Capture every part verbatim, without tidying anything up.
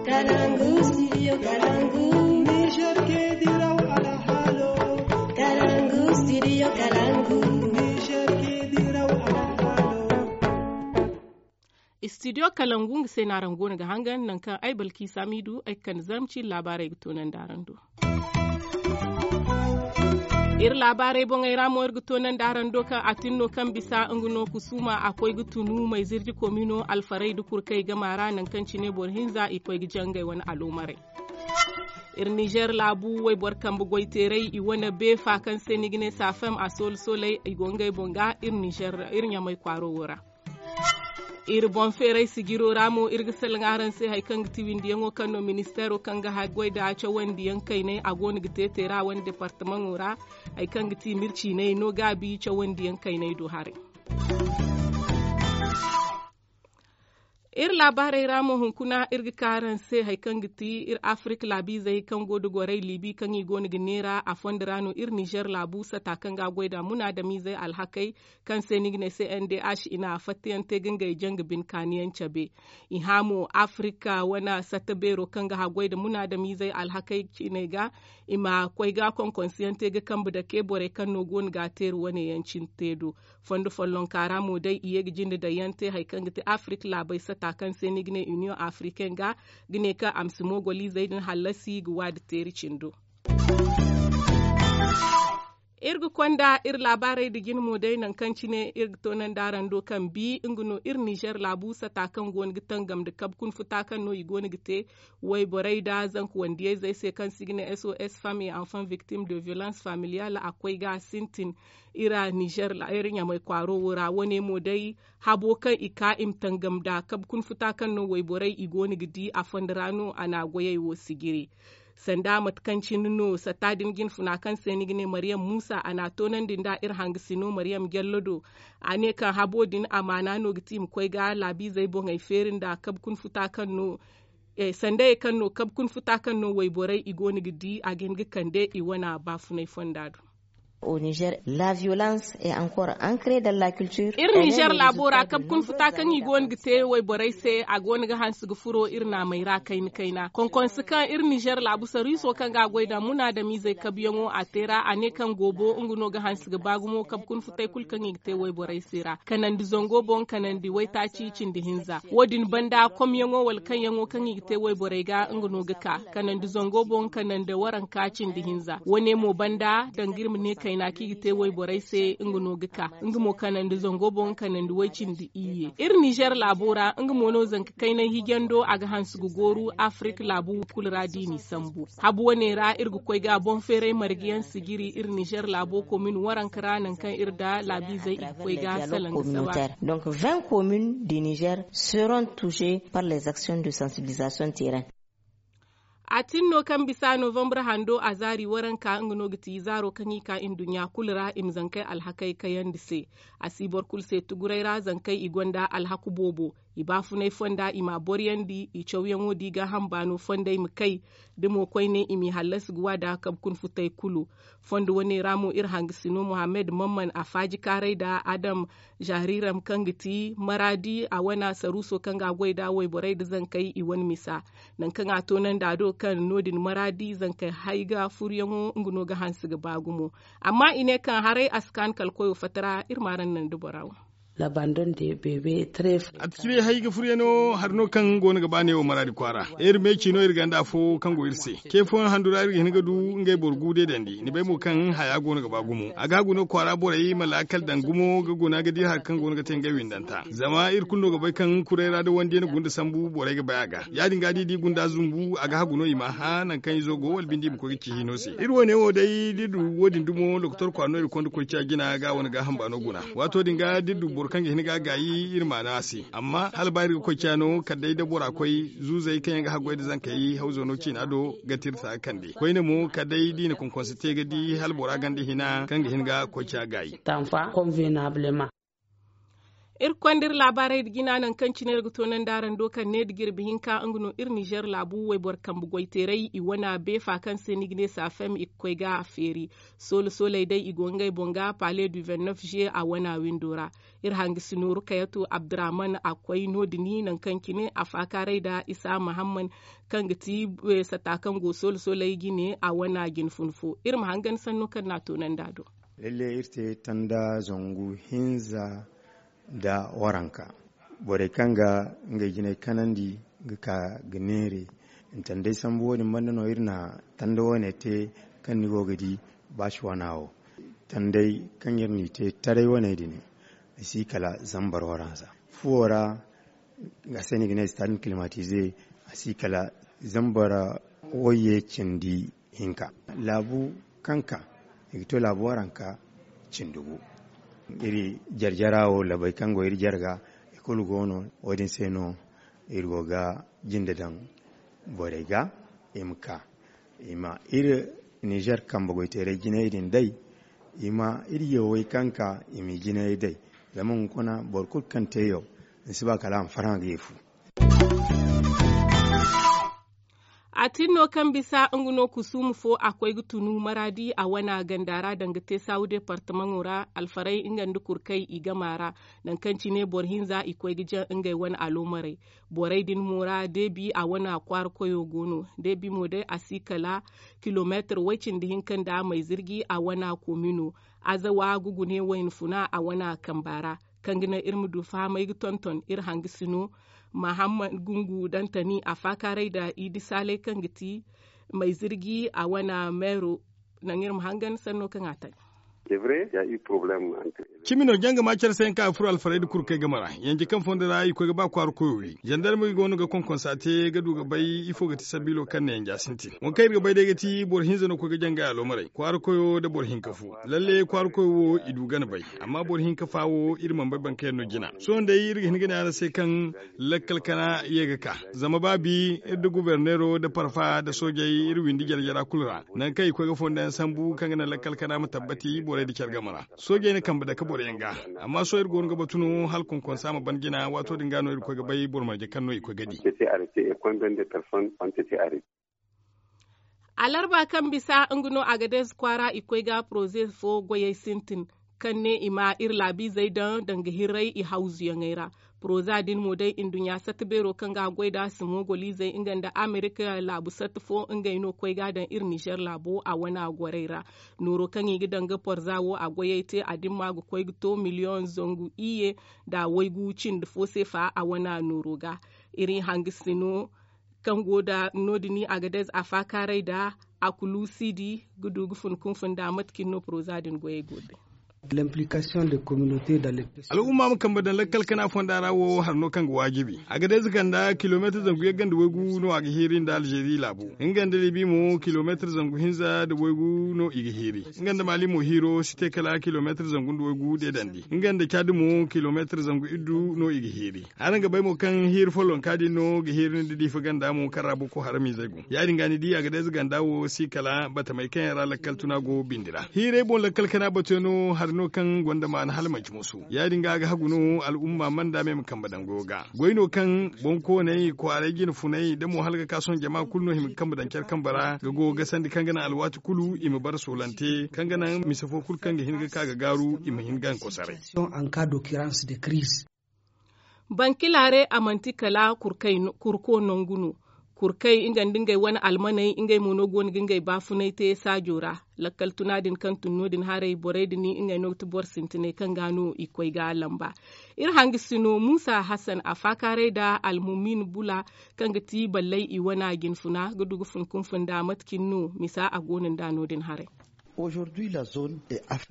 Kalangu, studio Kalangu. Niger ke diraw alhalo. Kalangu, studio Kalangu. Niger ke diraw alhalo. Studio Kalangu nga se no araŋ go no ga hangan nangu kaŋ ay balki samidu ay ga kande zarma ciiri laabaarey ga toonandi araŋ do. Iri laabaarey boŋey ra mo iri ga toonandi araŋ do kaŋ a tin no kaŋ bisa nga no kusuuma a koy ga tunu mayzirji komino alfarey da kurkey gama ra nangu kaŋ cine boro hinza i koy ga jangay wane aloomarey. Iri nizer laabu wayboro kambe goyteerey i wane beefa kaŋ se ni ga ne safem a soolu sooley i go ngey boŋ ga iri nizer iri ɲamay kwaaro wo ra. Iri boŋ feeray sijiro ra mo iri ga salaŋ araŋ se hari kaŋ ga ti windiyaŋo kaŋ no ministeero kaŋ ga haggoy nda cawandiyaŋ kaynay a go no ga te teera wane departamaŋo ra. Hari kaŋ ga ti mirciinay no gaabi cawandiyaŋ kaynay do haray. Iri laabaarey ra mo hunkuna iri ga ka araŋ se hari kaŋ ga ti iri afirika laabiizey kaŋ go nda gorey liibi kaŋ i go no ga neera a fondo ra no iri nizer laabu sata kaŋ ga a goy nda munaadamiizey alhakey kaŋ se ni ga ne se n d h i na fattayaŋ te ga ngey janga bine kaaniyaŋ cabe. I hã mo afirika wane satta beero kaŋ ga haggoy nda munaadamiizey alhakey ciiney ga i ma koy ga konkonsiyaŋ te ga kambe dake borey kaŋ no go no ga a teeri wane yaŋ cine te do. Fondo follonka ra mo day i ye ga jinde daŋ yaŋ te hari kaŋ ga ti afirika laabey sata kaŋ se ni ga ne iniyoŋ afirikaine ga ga ne kaŋ a ma si moogoliizey din hallasi ga waadi teeri cindo. Iri ga konda iri laabaarey nda jine mo day nangu kaŋ cine iri ga toonandi araŋ do kaŋ bi nga no iri nizer laabu sata kaŋ go no ga tangam nda kabe kuna futa kaŋ no i go no ga te wayborey nda zanka wandiyayzey se kaŋ se i ga ne s o s femme et enfant victime de violence familiale a koy ga a sintin iri nizer ɲamay kwaaro wo ra wane mo day habo kaŋ i ka i ma tangam nda kabe kuna futa kaŋ no wayborey i go no ga di a fondo ra no a na a goyey wo sijiri. Sanda mate kaŋ cine no satta din jinfuna kaŋ se ni ga ne maryam muusa a na a toonandi nda iri hangasino maryam jallo do. A ne kaŋ habo din amaana no ga ti i ma koy ga laabiizey boŋey feeri nda kabe kuna futa kaŋ no sandayey kaŋ no kabe kuna futa kaŋ no wayborey i go no ga di a ga hin ga kande i wane baafunay fonda do. Au niger la violence est encore ancrée dans la culture. Iri nizer laabo ra kabe kuna futa kaŋ i go no ga te wayborey se a go no ga hanse ga furo iri naamey ra kayna kayna konkonse kaŋ iri nizer laabu sarwiiso kaŋ ga a goy nda munaadamiizey kabeyaŋo a te ra a ne kaŋ goobo nga no ga hanse ga ba gumo kabe kuna futay kulu kaŋ i ga te wayborey se ra kanandi zango boŋ kanandi waytaaci cindi hinza wo- din banda komyaŋo wala kaŋyaŋo kaŋ i ga te wayborey ga nga no ga ka kanandi zango boŋ kanandi waranka cindi hinza wane mo banda danga iri ma ne kayna kaŋ i ga te wayborey se nga no ga ka nga mo kanandi zango boŋ kanandi way-cindi iyye iri nizer laabo ra nga mo no zanka kaynay hijando a ga hanse ga gooru afirika laabu kulu ra da i n'i sambu habu wane ra iri ga koy ga boŋ feeray marga yaŋ sijiri iri nizer laabo komin waranka ra nangu kaŋ iri nda laabiizey i ga koy ga salaŋ ga saba. Donc vingt communes du niger seront touchées par les actions de sensibilisation terrain. A tin no kaŋ bisa novembre hando a zaari waranka nga no ga ti zaaro kaŋ i ka nduɲɲa kulu ra i ma zankey alhakey kayandi se. A si boro kulu se tuguray ra zankey i gonda alhaku boobo i baafunay fonda i m'a boroyandi i cawyaŋo di gaaham baano fondey ma kay da mo koyne i m'i hallasi ga wa da kabe kuna futey kulu. Fondo wane ra mo iri hangasino mohammed mamman a faaji kaaray nda adam jahriram kaŋ ga ti maraadi a wane saruuso kaŋ ga a goy nda wayborey nda zankey i wane misa. Nangu kaŋ a toonandi a do kaŋ no- din maraadi zankey hay ga furuyaŋo nga no ga hanse ga ba gumo. Amma i ne kaŋ haray a si kaanu kala koyo fatara iri ma araŋ naŋ da bora wo. Labandon de bebe tre. A ti cibay hay ga furyaŋo hari no kaŋ go no ga ba neewo maraadi kwaara. Iri me ciino iri ganda afo kaŋ go iri se ce fooyaŋ handu ra iri ga hin ga du ngey boro gu deedandi ni bay mo kaŋ haya go no ga ba gumo a ga hagu no kwaara borey ma laakal daŋ gumo ga guna ga di hari kaŋ go no ga te ngey windanta zama iri kulu no ga bay kaŋ kuray ra da wandi yaŋ gunda sambu borey ga bay a ga ya- din ga da i di gunda zumbu a ga hagu no i ma hã nangu kaŋ izo go wala binde i ma koy ga ci hino se iri wane wo day da iri du wo- din dumo lokotor kwaara no iri konda koy ciya jina ga wane gaaham baano guna. Waato din ga da iri du boro kaŋ ga hin ga a gaayi iri ma naŋ a se amma hala ba iri ga koy ciya no kala day da bora koy zuuzey kaŋ yaŋ ga haggoy nda zankey hawzo no ciina do ga tirsa ga kande koyne mo kala day da i na konkonse te ga di hala bora ganda hina kaŋ ga hin ga koy ciya gaayi. Tanfa konvenableman. Iri ga konda iri laabaarey nda jina nangu kaŋ cine iri ga toonandi araŋ do kaŋ ne nda jirbi hinka nga no iri nizer laabu wayboro kambe goyteeray i wane beefa kaŋ se ni ga ne saafem i ga koy ga feeri. Soola sooley day i go ngey boŋ ga pale du vingt neuf juillet a wane windo ra. Iri hangasino rukayato abdurahman a koy no- din nangu kaŋ cine a faakaaray nda isa mahamman kaŋ ga ti sata kaŋ go soola sooley jine a wane jinfun fo. Iri ma hangan sanno kaŋ no a toonandi a do. Lalle iri te tanda zangu hinza nda waranka. Borey kaŋ ga ngey jinay kanandi ga ka ga neere. Tandey sambu wo- din banda no iri na tanda wane te kaŋ ni go ga di baasi wana wo. Tandey kaŋ iri n'i te taray wane din i si kala zambar waranza. Fuwo ra a se no i ga ne stade climatize. A si kala zambar wayye cindi hinka. Laabu kaŋ ka i ga to laabu waranka cindi gu. Iri jare jara wo labey kaŋ go iri jare ga i kulu go no. Wo- din se no iri go ga jinde daŋ borey ga i ma ka i ma iri nizer kambe goyteeray jinayey din day. I ma iri yawey kaŋ ka i m'i jinayey day. Zama hunkuna boro kulu kaŋ te yaw ni si ba kala a ma farhã ga ye fu. A tin no kaŋ bisa nga no kusuuma fo a koy ga tunu maraadi a wane ganda ra danga te saawu departamaŋo ra. Alfaray nga nda kurkay i gama ra nangu kaŋ cine boro hinza i koy ga jaŋ ngey wane aloomarey. Borey din mo ra deebi a wane kwaara koyo go no. Deebi mo day a si kala kilomeetir way- cindi hinka nda mayzirji a wane komino. Azawa ga gune wayna funa a wane kamba ra. Kaŋ ga naŋ iri ma du fahamay ga tonton iri hangasino mahammad gungu dantani a faakaaray nda i di saalay kaŋ ga ti mayzirji a wane meero. Naŋ iri ma hangan sanno kaŋ a taŋ. Cimi no janga ma care se yaŋ kaŋ a furo alfarey nda kurkey game ra. Yanje kaŋ fondo ra i koy ga ba kwaara koyo wi zandarmey go no ga konkonsa te ga du ga bay ifo ga ti sabiilo kaŋ na yanja sintin. Waŋ kaŋ iri ga bay day ga ti boro hinza no koy ga jangay aloomarey kwaara koyo nda boro hinka fo. Lalle kwaara koyo wo i du gana bay. Amma boro hinka fa wo iri mana bay boro kaŋ yaŋ no jina. Sohõ day iri ga hin ga ne araŋ se kaŋ lakkal kana ye ga ka. Zama ba bi iri nda guberneero nda parfa nda soojey iri windi jare jara kulu ra. Nangu kaŋ i koy ga fondo yaŋ sambu kaŋ ga naŋ lakkal kana ma tabbati borey nda care game ra. Soojey na kambe dake boro yaŋ ga. Amma sohõ iri go no ga batu no hala konkonsa ma ban jina waato din ga no iri koy ga bay boro marje kaŋ no i koy ga di. Alarba kaŋ bisa nga no a ga deeze kwaara i koy ga poroze fo goyey sintin kaŋ ne i ma iri laabiizey daŋ danga hirray i hawzuyaŋey ra. Poroza din mo day nduɲɲa satta beero kaŋ ga goy nd'a simogoliizey nga nda amerika laabu satta fo ngey no koy ga daŋ iri nizer laabo a wane gorey ra. Nooro kaŋ i ga daŋ ga porza wo a goyey te a dimma ga koy ga to miliyoŋ zangu iyye nda waygu cindi fo seefa a wane nooro ga. Iri hangasino kaŋ go nda no- din a ga day a faakaaray nda a kulu siidi ga du ga fun kunfun nda mate kaŋ no poroza din goyey go ga bay. Al'umma ma kambe daŋ lakkal kana fonda ra wo hari no kaŋ ga waajibi a ga day za ganda kilomeetir zangu yagga nda waygu no a ga hiiri nda alzeeri laabu. Nga nda libi mo kilomeetir zangu hinza nda waygu no i ga hiiri. Nga nda maali mo hiiro si te kala kilomeetir zangu nda waygu deedandi nga nda caadi mo kilomeetir zangu iddu no i ga hiiri. Araŋ ga bay mo kaŋ hiiri follonka din no ga hiiri nda diifa ganda mo kaŋ ra boko haramiizey go ya- din ga ni di a ga day za ganda wo si kala batamey kaŋ yaŋ ra lakkal tuna go bindi ra hiirey boŋ lakkal kana batuyaŋ no hari no kaŋ gonda maana hala manci musu ya- din ga a ga hagu no al'umma manda me ma kambe daŋ goyo ga. Goy no kaŋ boŋkooney kwaaray jine funay da mo hala ga ka sohõ jama kulu no hima ga kambe daŋ care kambe ra ga goyo ga sandi kaŋ ga naŋ alwaati kulu i ma bara soolante kaŋ ga naŋ mise fo kulu kaŋ ga hin ga ka ga gaaru i ma hin ga nga kosaray. Bankilaare a manti kala kurko nangu no. Kurkey nga nda ngey wane almaney ngey mo no go no ga ngey baafunay te saajo ra. Lakkal tuna din kaŋ tun no- din haray borey din ngey no ga ti boro sintinay kaŋ ga no i koy ga lamba. Iri hangasino muusa hasan a faakaaray nda almumin bula kaŋ ga ti ballay i wane jinfuna ga du ga fun kunfun nda mate cine no misa a go no nda no- din haray.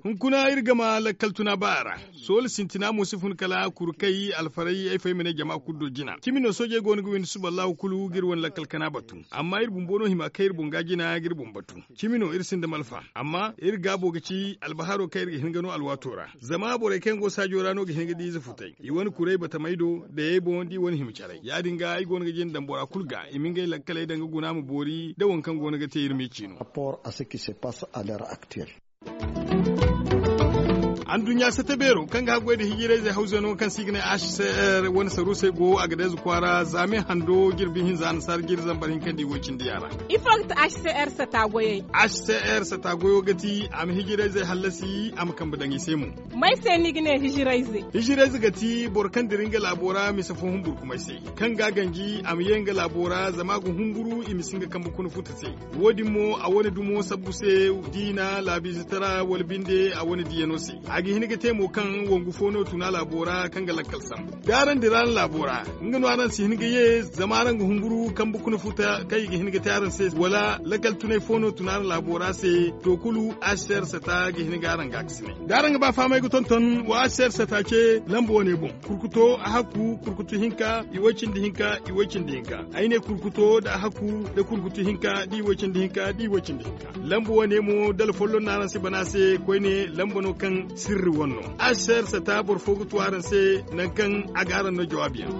Hunkuna iri gama lakkal tuna ba a ra. Soola sintina mo si fun kala kuru kay alfaray ay fo ay ma ne jama kulu do jina cimi no soojey go no ga windi suba allahu kulu ga iri wane lakkal kana batu. Amma iri bumbo no hima kay iri boŋ ga jina ga iri boŋ batu. Cimi no iri sinda malfa amma iri gaabo ga ci albaharo kaŋ iri ga hin ga no alwaato ra. Zama borey kaŋ yaŋ go saajo ra no ga hin ga di ize futay i wane kuray batamey do dayey boŋ da i wane hima caray ya- din ga ay go no ga jina daŋ bora kulu ga i ma ngey lakkaley daŋ ga guna ma boori nda waŋ kaŋ go no ga te iri ma i ciino. Anduɲɲa sata beero kaŋ ga haggoy nda hijirayzey hawzey no kaŋ se i ga ne h c r wane saruusey go a ga deeza kwaara zaame hando jirbi hinza annasaara jiri zambar hinka nda i woy cindi yaŋ ra. Ifo ga ti h c r sata goyey? H c r sata goyo ga ti a ma hijirayzey hallasi a ma kambe daŋ i se mo. May se ni ga ne hijirayze? Hijirayze ga ti boro kaŋ dira nga laabo ra mise fo humburkumay se, kaŋ ga a ganji a ma ye nga laabo ra zama a ga humburu i ma si nga kambe kuna futa se. Wo- din mo a wane dumo sabbu se, diina laabiize tara wala binde a wane diyano se. A ga hin ga te mo kaŋ wangu fo no tuna laabo ra kaŋ ga lakkal sambu da araŋ dira araŋ laabo ra, nga no araŋ si hin ga ye zama araŋ ga humburu kambe kuna futa kaŋ i ga hin ga te araŋ se wala lakkal tunay fo no tuna araŋ laabo ra se. To kulu, h c r sata ga hin ga araŋ ga a ga si ne da araŋ ga ba fahamay ga tonton wa h c r sata ce lamba wane boŋ. Kurkuto a hakku kurkutu hinka i way cindi hinka i way cindi hinka. Ay ne kurkuto nda a hakku nda kurkutu hinka da i way cindi hinka da i way cindi hinka. Lamba wane mo dala folloŋ no araŋ si bana se koyne lamba no kaŋ sirri wane no. H c r sata boro fo ga tu araŋ se nangu kaŋ a ga araŋ no jawaabi yaŋ.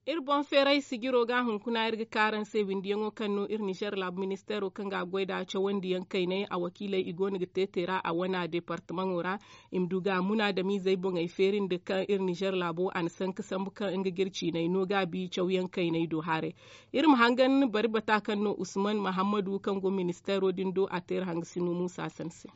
Iri boŋ feeray sijiro ga hunkuna iri ga ka araŋ se windiyaŋo kaŋ no iri nizer laabu ministeero kaŋ ga a goy nd'a cawandiyaŋ kaynay a wakiiley i go no ga te teera a wana deepartamaŋo ra. I ma du ga a munaadamiizey boŋey feeri nda kaŋ iri nizer laabo a na sanka sambu kaŋ nga ga iri ciinay no gaabi cawyaŋ kaynay do haray. Iri ma hangan bari bata kaŋ no usman mahammadu kaŋ go ministeero din do a te iri hangasino muusa san se.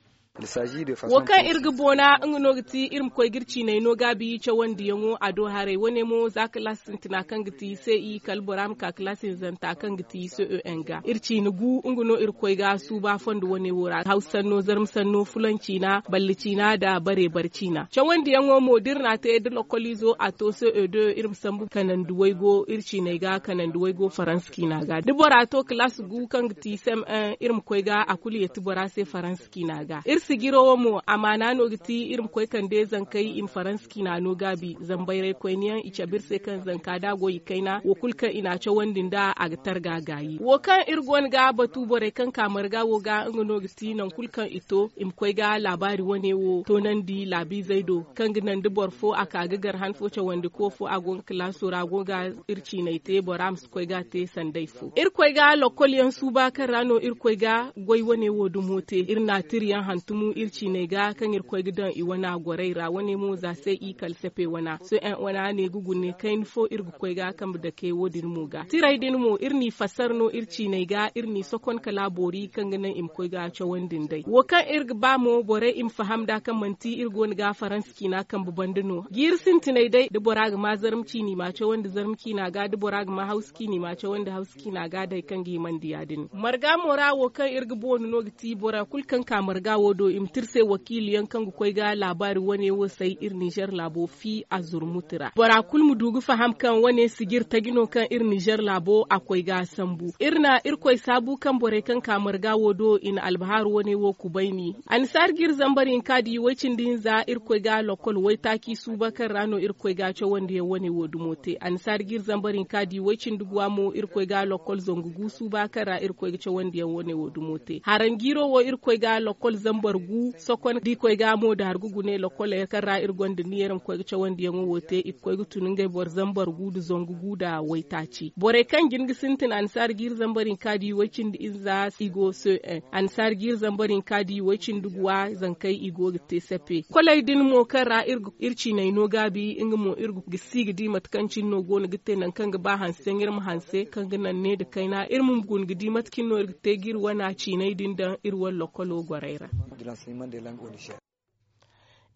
Wo kaŋ iri ga boona nga no ga ti iri ma koy ga iri ciinay no gaabi cawandiyaŋo a do haray wane mo za kalaasi sintina kaŋ ga ti c i kala bora ma ka kalaasi hinzanta kaŋ ga ti c e n ga iri ciina gu nga no iri ga koy ga suuba fondo wane wo ra hawsa sanno zarma sanno fulan ciina balle ciina nda bare bare ciina cawandiyaŋo mo da iri n'a te da lokoliizo a to c e deux iri ma sambu kanandi waygo iri ciinay ga kanandi waygo faransa ciina ga da bora to kalaasi gu kaŋ ga ti c m un iri ma koy ga a kulu yeeti bora se faransa ciina ga iri sijiro wo mo amaana no ga ti iri ma koy kande zankey i ma faransa ciina no gaabi zambayray koyne yaŋ i cabe iri se kaŋ zanka da a go i kayna wo kulu kaŋ i n'a cawandi nd'a a ga targa gaayi wo kaŋ iri go no ga batu borey kaŋ ka marga wo ga nga no ga ti nangu kulu kaŋ i to i ma koy ga laabaari wane wo toonandi laabiizey do kaŋ ga naŋ da boro fo a ka ga gar han fo cawandi ko fo a go nga kalaaso ra a go ga iri ciinay te bora ma si koy ga a te sanday fo iri koy ga lokol yaŋ suuba kaŋ ra no iri koy ga goy wane wo dumo te iri na tiri yaŋ hantumu iri ciinay ga kaŋ iri koy ga daŋ i wana gorey ra wane mo za se i kala sepe wana sohõ wana ne ga gune kayna fo iri ga koy ga kambe dake wo- din mo ga tirey din mo iri n'i fassar no iri ciinay ga iri n'i sokon kala boori kaŋ ga naŋ i ma koy ga cawandi nd'ey wo kaŋ iri ga ba mo borey i ma faham nd'a kaŋ manti iri go no ga faransa ciina kambe banda no jiiri sintinay day da bora ga ma zarma ciina i m'a cawandi zarma ciina ga da bora ga ma hawsa ciina i m'a cawandi hawsa ciina ga day kaŋ ga himandi ya- din marga mo ra wo kaŋ iri ga boonu no ga ti bora kulu kaŋ ka marga wo do i ma te iri se wakiili yaŋ kaŋ ga koy ga laabaari wane wo say iri nizer laabo fi a zurmuti ra bora kulu ma du ga faham kaŋ wane sijir taji no kaŋ iri nizer laabo a koy ga sambu iri na irkoy saabu kaŋ borey kaŋ ka marga wo do i na albahaaru wane wo kubayni annasaara jiiri zambar hinka da i way cindi hinza irkoy ga lokol waytaaci suuba kaŋ ra no irkoy ga cawandiyaŋ wane wo dumo te annasaara jiiri zambar hinka da i way cindi guwa mo irkoy ga lokol zangu gu suuba kaŋ ra irkoy ga cawandiyaŋ wane wo dumo te haranjiiro wo irkoy ga lokol zambar gu sokon da i koy ga mo da hargu gune lokoley kaŋ ra iri gonda niyer ma koy ga cawandiyaŋo wo te i ga koy ga tun ngey boro zambar gu nda zangu gu nda waytaaci borey kaŋ jin ga sintin annasaara jiiri zambar hinka da i way cindi ize za i go se annasaara jiiri zambar hinka da i way cindi guwa zankey i go ga te sape koley din mo kaŋ ra iri ciinay no gaabi nga mo iri ga si ga di mate kaŋ cine no go no ga te nangu kaŋ ga ba hanse yaŋ iri ma hanse kaŋ ga naŋ ne nda kayna iri ma guna ga di mate cine no iri ga te ga iri wana ciinay din daŋ iri wane lokolo gorey ra.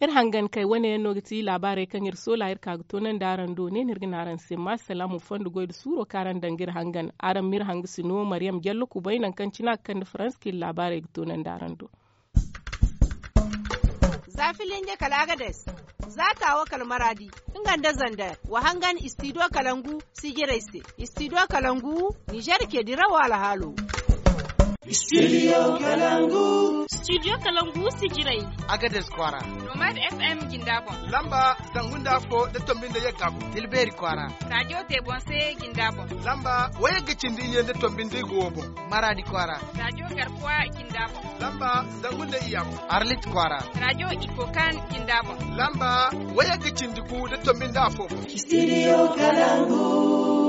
Iri hangan kay wane yaŋ no ga ti laabaarey kaŋ iri soola iri ka ga toonandi araŋ do ne no iri ga ne araŋ se ma salaamu fondo goy nda suuro kaŋ araŋ daŋ ga iri hangan araŋ ma iri hangasino mariyam jallo kubay nangu kaŋ cine a ga kande faransa kaŋ iri laabaarey ga toonandi araŋ do. Za filinge kala agades, za taawo kala maraadi, nga nda zander wa hangan istidiyo kalangu sijirey se. Istidiyo kalangu, nizer ce dirawo alhaalo. Istidiyo kalangu sijirey, agades kwaara, nomad f m jinda boŋ, lamba zangu nda afo nda tombi nda yagga boŋ, tilbeeri kwaara, raadiyo tebonse jinda boŋ, lamba wayagga cindi iyye nda tombi nda igo wo boŋ, maraadi kwaara, raadiyo garkuwa jinda boŋ, lamba zangu nda iyya boŋ, arlit kwaara, raadiyo ikokan jinda boŋ, lamba wayagga cindi gu nda tombi nda afo boŋ. Istidiyo kalangu.